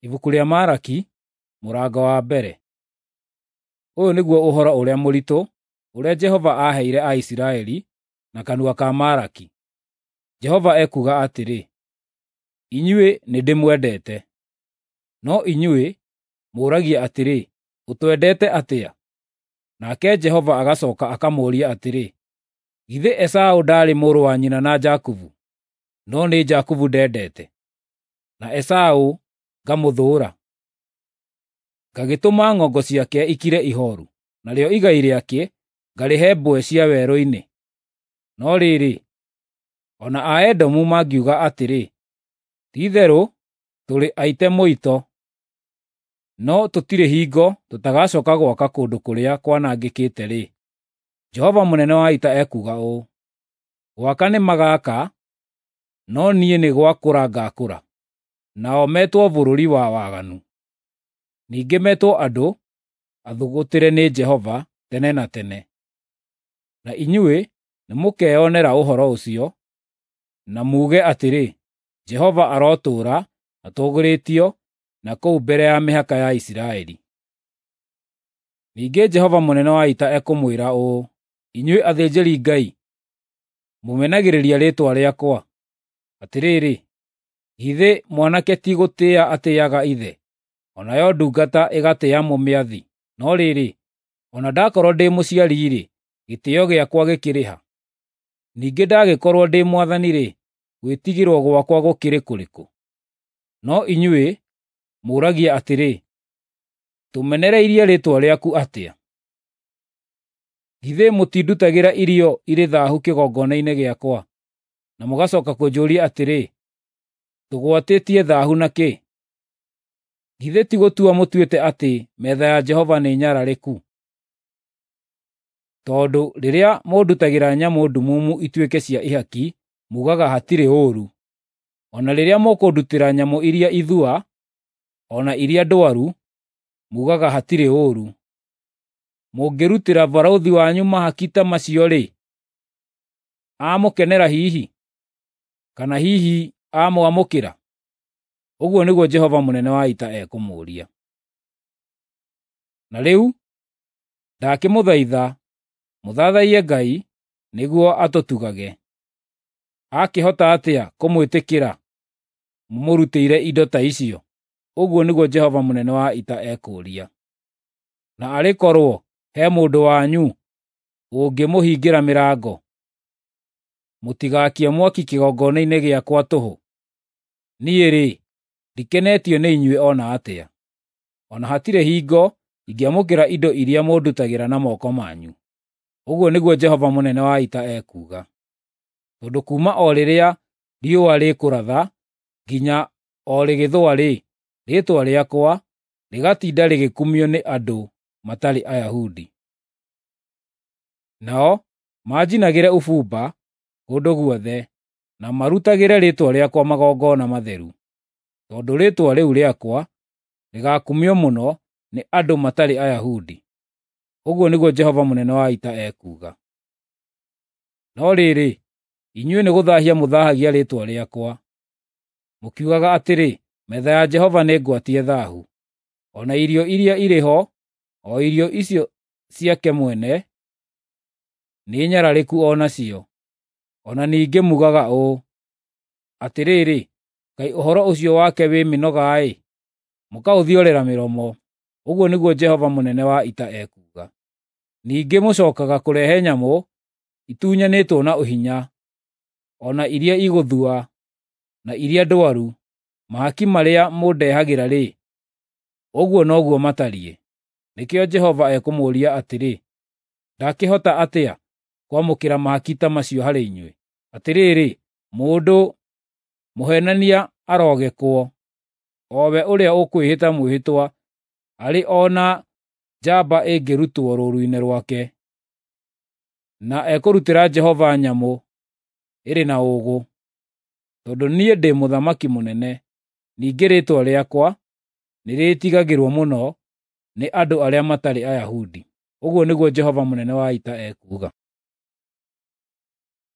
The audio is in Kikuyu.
Ibuku rĩa Maraki, mũrango wa mbere. Ũyũ nĩguo ũhoro ũrĩa mũritũ ũrĩa Jehova aaheire Aisiraeli na kanua ka Maraki. Jehova ekuuga atĩrĩ, “Inyuĩ nĩndĩmwendete. No inyuĩ mũũragia atĩrĩ, ‘Ũtwendete atĩa?’ Nake Jehova agacooka akamũũria atĩrĩ, “Githĩ Esaũ ndaarĩ mũrũ wa nyina na Jakubu? No nĩ Jakubu ndendete, na Esaũ ngamũthũũra. Ngagĩtũma ng'ongo ciake ikire ihooru, narĩo igai rĩake ngarĩhe mbwe cia werũ-inĩ. No rĩrĩ, o na Aedomu mangiuga atĩrĩ, ‘Ti-itherũ tũrĩ aite mũito, no tũtirĩ hingo tũtagacooka gwaka kũndũ kũrĩa kwanangĩkĩte-rĩ, Jehova mũnene wa ita ekuuga ũũ: Gwaka nĩmagaaka, no niĩ nĩ gwakũra ngaakũra. Nao metwo bũrũri wa waganu, ningĩ metwo andũ athũgũtĩre nĩ Jehova tene na tene. Na inyuĩ nĩmũkeyonera ũhoro ũcio, na muuge atĩrĩ, ‘Jehova arotũũra atũũgĩrĩtio na kũu mbere ya mĩhaka ya Isiraeli.’ Ningĩ Jehova mũnene wa ita ekũmwĩra ũũ, inyuĩ athĩnjĩri-Ngai, mũmenagĩrĩria rĩĩtwa rĩakwa. Atĩrĩrĩ, githĩ mwanake ti gũtĩĩa atĩĩaga ithe, o nayo ndungata ĩgatĩĩa mũmĩathi? No rĩrĩ, o na ndakorwo ndĩ mũciari-rĩ, gĩtĩĩo gĩakwa gĩkĩrĩ ha? Ningĩ ndagĩkorwo ndĩ mwathani-rĩ, gwĩtigĩrwo gwakwa gũkĩrĩ kũrĩkũ? No inyuĩ mũũragia atĩrĩ, ‘Tũmenereirie rĩĩtwa rĩaku atĩa?’ Githĩ mũtindutagĩra irio irĩ thaahu kĩgongona-inĩ gĩakwa, na mũgacooka kũnjũũria atĩrĩ, ‘Tũgwatĩtie thaahu na kĩ?’ Githĩ ti gũtua mũtuĩte atĩ metha ya Jehova nĩ nyararĩku? Tondũ rĩrĩa mũndutagĩra nyamũ ndumumu ituĩke cia ihaki, muugaga hatirĩ ũũru. O na rĩrĩa mũkũndutĩra nyamũ iria ithua, o na iria ndwaru, muugaga hatirĩ ũũru. Mũngĩrutĩra barũthi wanyu mahaki ta macio-rĩ, amũkenera hihi? Kana hihi amwamũkĩra? Ũguo nĩguo Jehova mũnene wa ita ekũmũũria. Na rĩu ndakĩmũthaitha mũthathaiye Ngai nĩguo atũtugage. Akĩhota atĩa kũmwĩtĩkĩra mũmũrutĩire indo ta icio? Ũguo nĩguo Jehova mũnene wa ita ekũũria. Na arĩ korwo he mũndũ wanyu ũngĩmũhingĩra mĩrango, mũtigaakie mwaki kĩgongona-inĩ gĩakwa tũhũ. Niĩ-rĩ, ndikenetio nĩ inyuĩ o na atĩa. O na hatirĩ hingo ingĩamũkĩra indo iria mũndutagĩra na moko manyu. Ũguo nĩguo Jehova mũnene wa ita ekuuga. Tondũ kuuma o rĩrĩa riũa rĩkũratha nginya o rĩgĩthũa-rĩ, rĩĩtwa rĩakwa rĩgatinda rĩgĩkumio nĩ andũ matarĩ Ayahudi. Nao manjinagĩre ũbumba kũndũ guothe, na marutagĩre rĩĩtwa rĩakwa magongona matheru, tondũ rĩĩtwa rĩu rĩakwa rĩgaakumio mũno nĩ andũ matarĩ Ayahudi. Ũguo nĩguo Jehova mũnene wa ita ekuuga. No rĩrĩ, inyuĩ nĩgũthaahia mũthaahagia rĩĩtwa rĩakwa, mũkiugaga atĩrĩ, ‘Metha ya Jehova nĩngwatie thaahu,’ o na irio iria irĩ ho, o irio icio ciake mwene, nĩ nyararĩku o nacio. O na ningĩ muugaga ũũ, ‘Atĩrĩrĩ, kaĩ ũhoro ũcio wake wĩ mĩnoga-ĩ!’ Mũkaũthiorera mĩromo. Ũguo nĩguo Jehova mũnene wa ita ekuuga. Ningĩ mũcookaga kũrehe nyamũ itunyanĩtwo na ũhinya, o na iria igũthua, na iria ndwaru. Mahaki marĩa mũndehagĩra-rĩ, ũguo noguo matariĩ. Nĩkĩo Jehova ekũmũũria atĩrĩ, “Ndakĩhota atĩa kwamũkĩra mahaki ta macio harĩ inyuĩ?” Atĩrĩrĩ, mũndũ mũheenania arogekwo, o we ũrĩa ũkwĩhĩta mwĩhĩtwa arĩ o na njamba ĩngĩrutwo rũũru-inĩ rwake, na ekũrutĩra Jehova nyamũ ĩrĩ na ũũgũ. Tondũ niĩ ndĩ mũthamaki mũnene, ningĩ rĩĩtwa rĩakwa nĩrĩĩtigagĩrwo mũno nĩ andũ arĩa matarĩ Ayahudi. Ũguo nĩguo Jehova mũnene wa ita ekuuga.